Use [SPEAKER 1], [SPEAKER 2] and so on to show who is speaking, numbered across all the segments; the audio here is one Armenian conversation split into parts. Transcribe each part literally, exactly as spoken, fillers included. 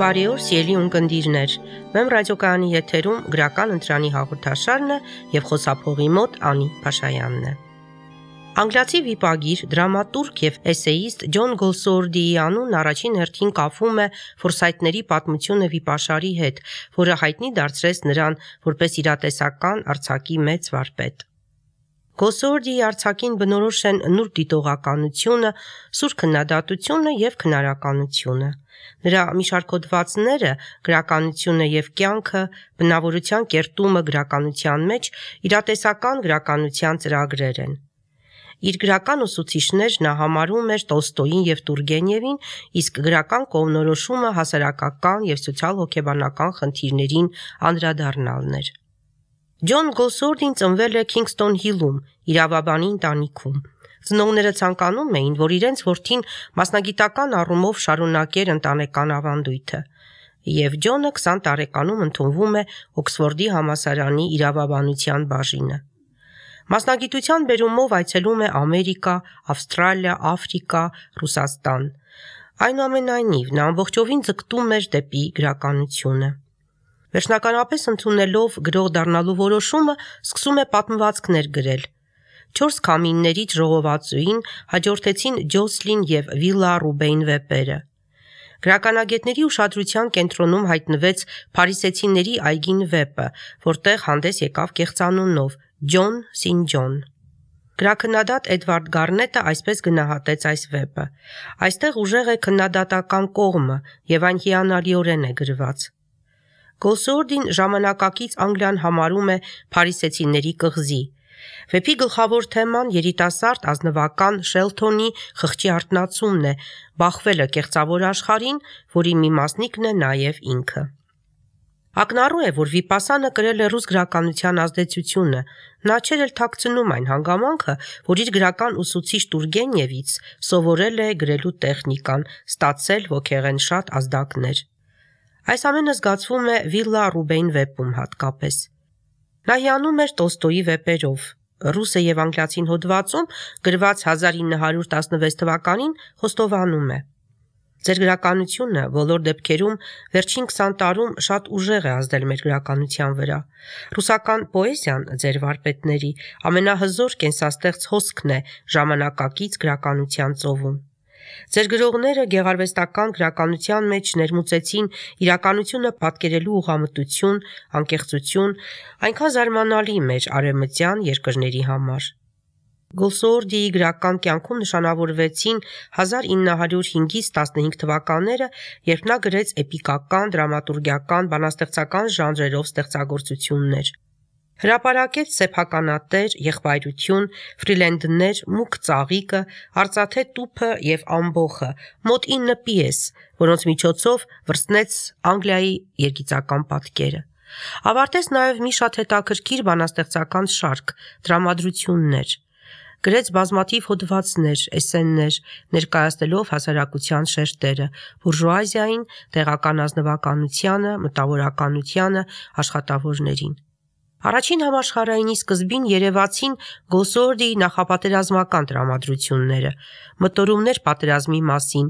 [SPEAKER 1] Բարի օր, սիրելի ունկնդիրներ։ Մեմ ռադիոկայանի եթերում գրական ընտրանի հաղորդաշարն է եւ խոսափողի մոտ Անի Փաշայանն է։ Անգլիացի վիպագիր, դրամատուրգ եւ էսեիստ Ջոն Գոլսուորդիի անունն առաջին հերթին կապվում է Ֆորսայթների պատմությունը վիպաշարի հետ, որը հայտնի դարձրեց նրան որպես իրատեսական արձակի մեծ վարպետ։ Գոլսուորդիի արձակին բնորոշ են նուրբ դիտողականությունը, սուր քննադատությունը եւ քնարականությունը։ Նրա մի շարք հոդվածները, գրականությունը եւ կյանքը, բնավորության կերտումը գրականության մեջ իրատեսական գրականության ծրագրեր են։ Իր գրական ուսուցիչներ նա համարում էր Տոլստոյին եւ Տուրգենևին, իսկ գրական կողմնորոշումը հասարակական եւ սոցիալ-հոգեբանական խնդիրներին անդրադառնալն էր։ Ջոն Գոլսուորդին ծնվել է Քինգսթոն Հիլում, իրավաբանի ընտանիքում։ Ծնողները ցանկանում էին, որ իրենց որդին մասնագիտական առումով շարունակեր ընտանեկան ավանդույթը, եւ Ջոնը քսան տարեկանում ընդունվում է Օքսֆորդի համալսարանի իրավաբանության բաժինը։ Մասնագիտության բերումով այցելում է Ամերիկա, Ավստրալիա, Աֆրիկա, Ռուսաստան։ Այնուամենայնիվ, նա ամբողջովին ձգտում էր դեպի գրականությունը։ Վերջնականապես ընդունելով գրող դառնալու որոշումը, սկսում է պատմվածքներ գրել։ Չորս քամիններից ժողովածուին հաջորդեցին Ջոսլին եւ Վիլա Ռուբեյն վեպերը։ Գրականագետների ուշադրության կենտրոնում հայտնվեց Փարիսեցիների այգին վեպը, որտեղ հանդես եկավ կեղծանունով Ջոն Սին Ջոն։ Գրաքննադատ Էդվարդ Գառնետը այսպես գնահատեց այս վեպը. այստեղ ուժեղ է քննադատական կողմը եւ այն հիանալիորեն է գրված։ Գոլսուորդին ժամանակակից Անգլիան համարում է փարիսեցիների կղզի։ Վեպի գլխավոր թեման երիտասարդ ազնվական Շելթոնի խղճի արթնացումն է, բախվելը կեղծավոր աշխարհին, որի մի մասնիկն է նաև ինքը։ Ակնառու է, որ Վիպասանը կրել է ռուս գրականության ազդեցությունը, նա չէր էլ թաքցնում այն հանգամանքը, որ իր գրական ուսուցիչ Տուրգենևից սովորել է գրելու տեխնիկան, ստացել ոգեղեն շատ ազդակներ։ Այս ամենը զգացվում է Վիլա Ռուբեյն վեպում հատկապես։ Նա հիանում էր Տոլստոյի վեպերով։ Ռուսը եւ անգլիացին հոդվածում գրված հազար ինը հարյուր տասնվեց թվականին խոստովանում է. Ձեր գրականությունը բոլոր դեպքերում վերջին քսան տարում շատ ուժեղ է ազդել մեր գրականության վրա։ Ռուսական պոեզիան, ձեր վարպետների, ամենահզոր կենսաստեղծ հոսքն է ժամանակակից գրականության ծովում։ Ձեր գրողները գեղարվեստական գրականության մեջ ներմուծեցին իրականությունը պատկերելու ուղղամտություն, անկեղծություն, այնքան զարմանալի մեր արևմտյան երկրների համար։ Գոլսուորդիի գրական կյանքում նշանավորվեցին հազար ինը հարյուր հինգից տասնհինգ թվականները, երբ նա գրեց էպիկական, դրամատուրգիական, բանաստեղծական ժանրերով ստեղծագործություններ։ Հրապարակեց սեփականատեր, եղբայրություն, ֆրիլենդներ, մուգ ծաղիկը, արծաթե տուփը եւ ամբոխը, մոտ ինը պիես, որոնց միջոցով վրձնեց Անգլիայի երգիծական պատկերը։ Ավարտեց նաեւ մի շատ հետաքրքիր բանաստեղծական շարք, դրամատրություններ։ Գրեց բազմաթիվ հոդվածներ, էսսեներ, ներկայացնելով հասարակության շերտերը, բուրժուազիային, տեղական ազնվականությանը, մտավորականությանը, աշխատավորներին։ Առաջին համաշխարհայինի սկզբին երևացին Գոլսուորդիի նախապատերազմական տրամադրությունները, մտորումներ պատերազմի մասին,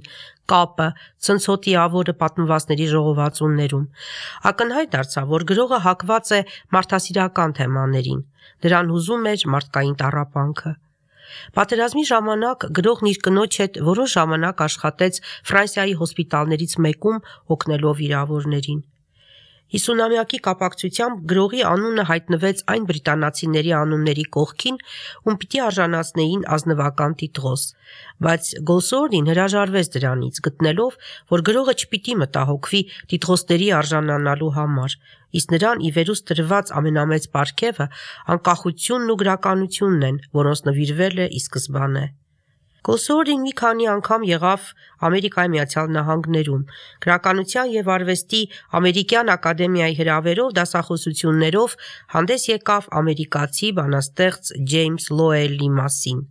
[SPEAKER 1] կապը, ցնցոտիավորը պատմվածքների ժողովածուներում։ Ակնհայտ դարձավ, որ գրողը հակված է մարդասիրական թեմաներին, նրան հուզում էր մարդկային տառապանքը։ Պատերազմի ժամանակ գրողն իր կնոջ հետ որոշ ժամանակ աշխատեց Ֆրանսիայի հոսպիտալներից մեկում օգնելով վիրավորներին։ Հիսունամյակի կապակցությամբ գրողի անունը հայտնվեց այն բրիտանացիների անունների կողքին, ում պիտի արժանացնեին ազնվական տիտղոս, բայց Գոլսուորդին հրաժարվեց դրանից, գտնելով, որ գրողը չպիտի մտահոգվի տիտղոսների արժանանալու համար, իսկ նրան ի վերուստ տրված ամենամեծ պարգևը անկախությունն ու գրականությունն են, որոնց նվիրվել է ի սկզբանե։ Գոլսուորդին մի քանի անգամ եղավ Ամերիկայի Միացյալ Նահանգներում, գրականության եւ արվեստի ամերիկյան ակադեմիայի հրավերով դասախոսություններով հանդես եկավ ամերիկացի բանաստեղծ Ջեյմս Լոուելի մասին։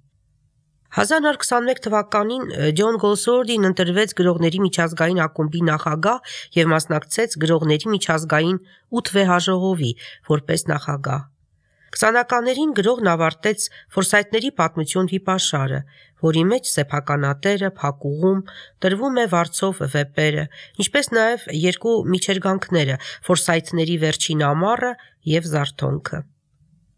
[SPEAKER 1] հազար նոր քսանմեկ թվականին Ջոն Գոլսուորդին ընտրվեց գրողների միջազգային ակումբի նախագահ եւ մասնակցեց գրողների միջազգային ութ վեհաժողովի որպես նախագահ։ Քսանականներին գրողն ավարտեց Ֆորսայթների պատմություն վիպաշարը, որի մեջ սեփականատերը, փակուղում, տրվում է վարձով վեպերը, ինչպես նաև երկու միջերգանքները՝ Ֆորսայթների վերջին ամառը և զարթոնքը։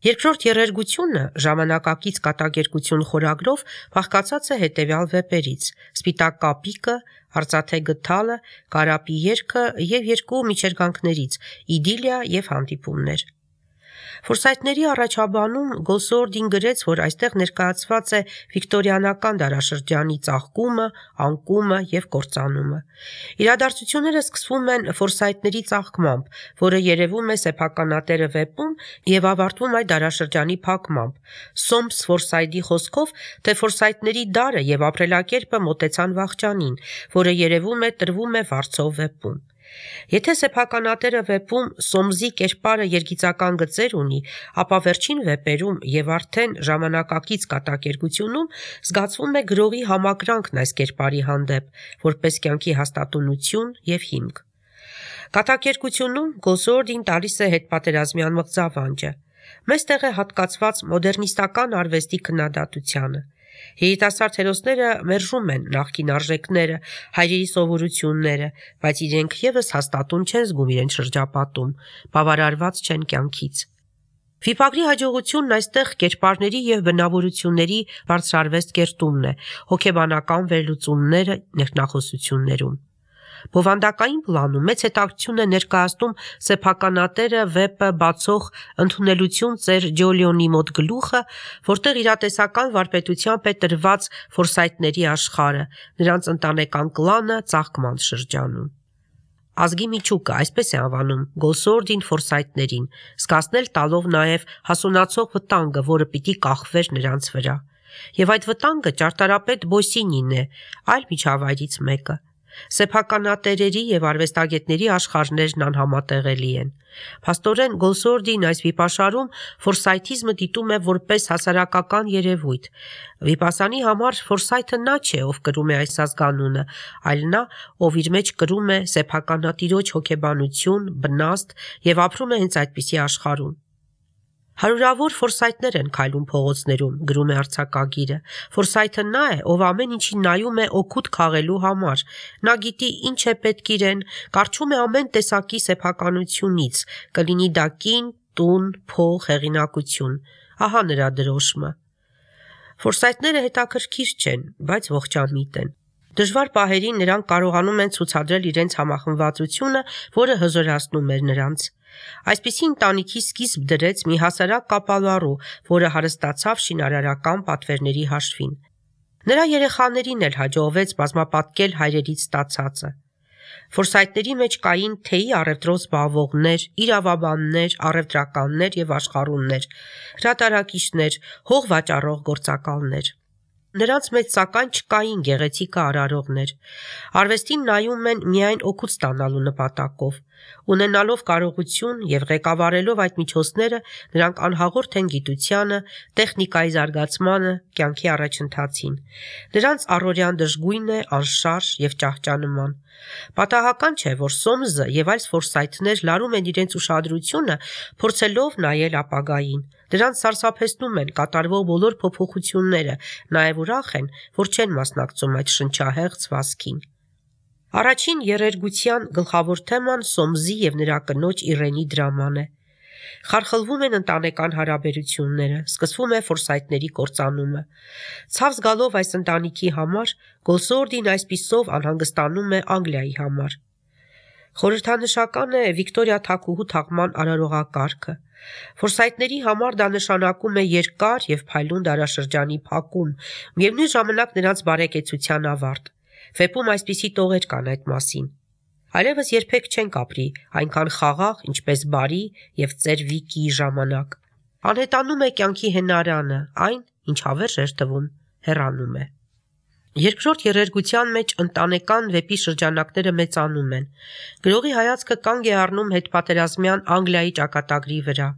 [SPEAKER 1] Երկրորդ եռերգությունը ժամանակակից կատակերգություն խորագրով բաղկացած է հետևյալ վեպերից՝ Սպիտակ կապիկը, Արծաթե գդալը, Կարապի երգը և երկու միջերգանքներից՝ Իդիլիա և Հանդիպումներ։ Ֆորսայթների առաջաբանում Գոսուորդին գրեց, որ այստեղ ներկայացված է վիկտորիանական դարաշրջանի ծաղկումը, անկումը և կործանումը։ Իրադարձությունները սկսվում են Ֆորսայթների ծաղկմամբ, որը երևում է սեփականատերը վեպում և ավարտվում այդ դարաշրջանի փակմամբ։ Սոմս Ֆորսայթի խոսքով, թե Ֆորսայթների դարը և ապրելակերպը մոտեցան վախճանին, որը երևում է տրվում է վարձով վեպում։ Եթե սեփականատերը վեպում Սոմսի կերպարը երգիծական գծեր ունի, ապա վերջին վեպերում և արդեն ժամանակակից կատակերգությունում զգացվում է գրողի համակրանքն այս կերպարի հանդեպ, որպես կյանքի հաստատունություն և հիմք։ Կատակերգությունում Գոսուորդին տալիս է հետպատերազմյան մղձավանջը։ Մեծ տեղ է հատկացված մոդեռնիստական արվեստի քննադատությանը։ Երիտասարդ հերոսները մերժում են նախկին արժեքները, հայրերի սովորությունները, բայց իրենք ևս հաստատուն չեն զգում իրենց շրջապատում, բավարարված չեն կյանքից։ Վիպագրի հաջողությունն այստեղ կերպարների և բնավորությունների բարձրարվեստ կերտումն է, հոգեբանական վերլուծումները ներքնախոսություններում։ Բովանդակային պլանում մեծ հետաքրքրություն է ներկայացնում սեփականատերը վեպը բացող «Ընդունելություն ծեր Ջոլիոնի մոտ» գլուխը, որտեղ իրատեսական վարպետությամբ է տրված Ֆորսայթների աշխարհը, նրանց ընտանեկան կլանը ծաղկման շրջանում։ Ազգի միջուկը, այսպես է անվանում Գոսուորդին Ֆորսայթներին, զգացնել տալով նաև հասունացող վտանգը, որը պիտի կախվեր նրանց վրա։ Եվ այդ վտանգը ճարտարապետ Բոսինին է, այլ միջավայրից մեկը։ Սեփականատերերի և արվեստագետների աշխարհներն անհամատեղելի են։ Փաստորեն Գոսուորդին այս վիպաշարում ֆորսայթիզմը դիտում է որպես հասարակական երևույթ։ Վիպասանի համար Ֆորսայթը նա չէ, ով կրում է այս ազգանունը, այլ նա, ով իր մեջ կրում է սեփականատիրոջ հոգեբանություն, բնաստ և ապրում է հենց այդպիսի աշխարհում։ Հարյուրավոր Ֆորսայթներ են քայլում փողոցներում, գրում է արձակագիրը։ Ֆորսայթը նա է, ով ամեն ինչին նայում է օգուտ քաղելու համար։ Նա գիտի ինչ է պետք իրեն, կառչում է ամեն տեսակի սեփականությունից, կլինի դա կին, տուն, փող, հեղինակություն։ Ահա նրա դրոշմը։ Ֆորսայթները հետաքրքիր չեն, բայց ողջամիտ են։ Դժվար պահերին նրանք կարողանում են ցուցադրել իրենց համախմբվածությունը, որը հզորացնում էր նրանց։ Այսպիսի ընտանիքի սկիզբ դրեց մի հասարակ կապալառու, որը հարստացավ շինարարական պատվերների հաշվին։ Նրա երեխաներին էլ հաջողվեց բազմապատկել հայրերից ստացածը։ Ֆորսայթների մեջ կային թեյի առևտրով զբաղվողներ, իրավաբաններ, առևտրականներ և աշխարհուններ, հրատարակիչներ, հող վաճառող գործակալներ։ Նրանց մեջ սակայն չկային գեղեցիկը արարողներ։ Արվեստին նայում են միայն օգուտ ստանալու նպատակով։ Ունենալով կարողություն և ղեկավարելով այդ միջոցները, նրանք անհաղորդ են գիտությանը, տեխնիկայի զարգացմանը, կյանքի առաջընթացին։ Նրանց առօրյան դժգույն է, անշարժ և ճահճանման։ Պատահական չէ, որ Սոմսը և այլ Ֆորսայթներ լարում են իրենց ուշադրությունը, փորձելով նայել ապագային։ Դրանց սարսափեցնում են կատարվող բոլոր փոփոխությունները, նաև ուրախ են, որ չեն մասնակցում այդ շնչահեղձ վազքին։ Առաջին եռերգության գլխավոր թեման Սոմսի և նրա կնոջ Իրենի դրաման է։ Խարխլվում են ընտանեկան հարաբերությունները, սկսվում է Ֆորսայթների կործանումը։ Ցավ զգալով այս ընտանիքի համար, Գոսուորդին այսպիսով անհանգստանում է Անգլիայի համար։ Խորհրդանշական է Վիկտորիա թագուհու թաղման արարողակարգը։ Ֆորսայթների համար դա նշանակում է երկար և փայլուն դարաշրջանի փակում, միևնույն ժամանակ նրանց բարեկեցության ավարտ։ Վեպում այսպիսի տողեր կան այդ մասին։ Այլևս երբեք չենք ապրի այնքան խաղաղ, ինչպես բարի և ծեր Վիկիի ժամանակ։ Անհետանում է կյանքի հենարանը, այն, ինչ հավերժ էր թվում, հեռանում է։ Երկրորդ եռերգության մեջ ընտանեկան վեպի շրջանակները մեծանում են։ Գրողի հայացքը կանգ է առնում հետպատերազմյան Անգլիայի ճակատագրի վրա։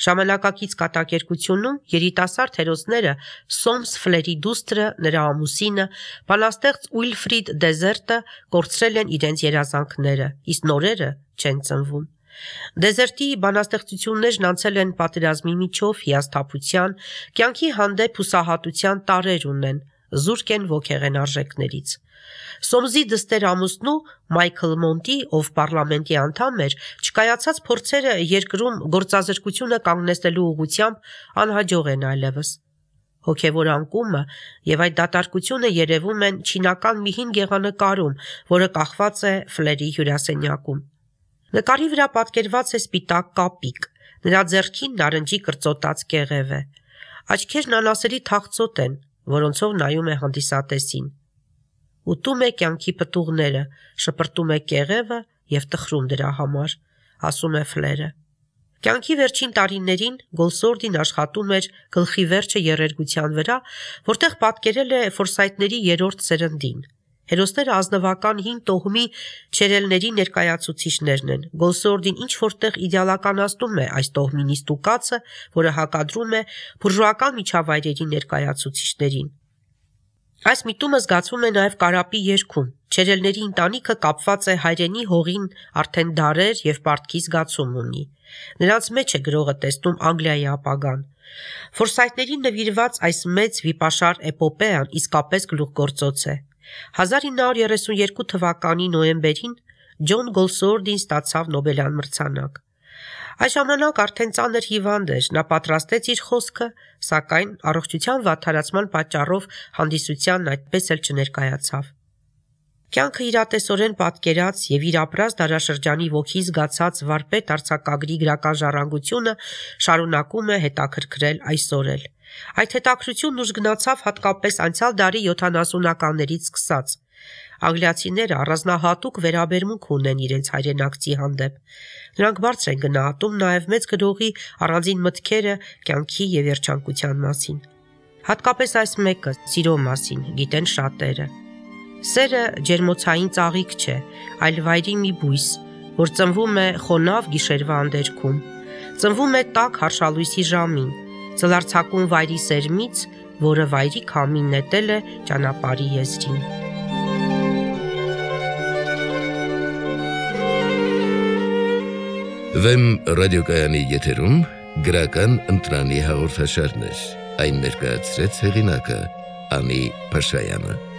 [SPEAKER 1] Ժամանակակից կատակերգությունում երիտասարդ հերոսները Սոմս Ֆլերի դուստրը, նրա ամուսինը, բանաստեղծ Ուիլֆրիդ Դեզերտը կորցրել են իրենց երազանքները, իսկ նորերը չեն ծնվում։ Դեզերտի բանաստեղծություններն անցել են պատերազմի միջով հիասթափության, կյանքի հանդեպ հուսահատության տարրեր ունեն, զուրկ են ոգեղեն արժեքներից։ Սոմզի դստեր ամուսնու Մայքլ Մոնտի, ով պարլամենտի անդամ էր, չկայացած փորձերը երկրում գործազրկությունը կանգնեցնելու ուղղությամբ անհաջող են այլևս։ Հոգևոր անկումը եւ այդ դատարկությունը երևում են չինական մի հին գեղանկարում, որը կախված է Ֆլերի հյուրասենյակում։ Նկարի վրա պատկերված է սպիտակ կապիկ, նրա ձեռքին նարնջի կրծոտած կեղև է։ Աչքերն անասելի թախծոտ են, որոնցով նայում է հանդիսատեսին։ Ուտում է կյանքի պտուղները, շպրտում է կեղևը եւ տխրում դրա համար, ասում է Ֆլերը։ Կյանքի վերջին տարիներին Գոլսորդին աշխատում էր գլխի վերջը երերգության վրա, որտեղ պատկերել է Ֆորսայթների երրորդ սերնդին։ Հերոսները ազնվական հին տոհմի չերելների ներկայացուցիչներն են։ Գոլսորդին ինչ որտեղ իդեալականացնում է այս տոհմի նիստուկացը, որը հակադրում է բուրժուական միջավայրերի ներկայացուցիչներին։ Այս միտումը զգացվում է նաև Կարապի երգում։ Չերելների ընտանիքը կապված է հայրենի հողին արդեն դարեր եւ պարտքի զգացում ունի։ Նրանց մեջ է գրողը տեսնում Անգլիայի ապագան։ Ֆորսայթներին նվիրված այս մեծ վիպաշար էպոպեան իսկապես գլուխգործոց է։ հազար ինը հարյուր երեսունյերկու թվականի նոյեմբերին Ջոն Գոլսորդին ստացավ Նոբելյան մրցանակ։ Այս ժամանակ արդեն ծանր հիվանդ էր, նա պատրաստեց իր խոսքը, սակայն առողջության վատթարացման պատճառով հանդիսությանն այդպես էլ չներկայացավ։ Կյանքը իրատեսորեն պատկերած եւ իր ապրած դարաշրջանի ոգի զգացած վարպետ արձակագրի գրական ժառանգությունը շարունակում է հետաքրքրել այսօր էլ։ Այդ հետաքրությունն ուժ գնացավ հատկապես անցյալ դարի յոթանասունականներից սկսած։ Անգլիացիները առանձնահատուկ վերաբերմունք ունեն իրենց հայրենակցի հանդեպ։ Նրանք բարձր են գնահատում նաև մեծ գրողի առանձին մտքերը կյանքի եւ երջանկության մասին։ Հատկապես այս մեկը՝ սիրո մասին, գիտեն շատերը։ Սերը ջերմոցային ծաղիկ չէ, այլ վայրի մի բույս, որ ծնվում է խոնավ գիշերվա անդերքում, ծնվում է տաք հարշալույսի ժամին, ծլարձակում վայրի սերմից, որը վայրի քամին նետել է ճանապարհի եզրին։
[SPEAKER 2] Վեմ ռադիոկայանի եթերում գրական ընտրանի հաղորդաշարներ, այն ներկայացրեց հեղինակը Անի Փաշայանը։